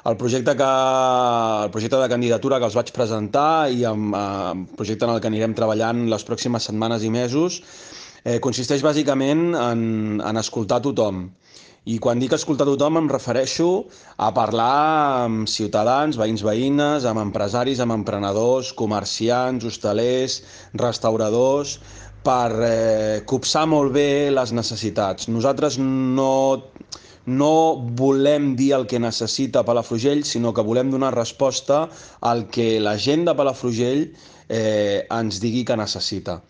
El projecte de candidatura que els vaig presentar i el projecte en el que anirem treballant les pròximes setmanes i mesos consisteix bàsicament en escoltar tothom. I quan dic escoltar tothom em refereixo a parlar amb ciutadans, veïns, veïnes, amb empresaris, amb emprenedors, comerciants, hostalers, restauradors, per copsar molt bé les necessitats. Nosaltres no volem dir el que necessita Palafrugell, sinó que volem donar resposta al que la gent de Palafrugell ens digui que necessita.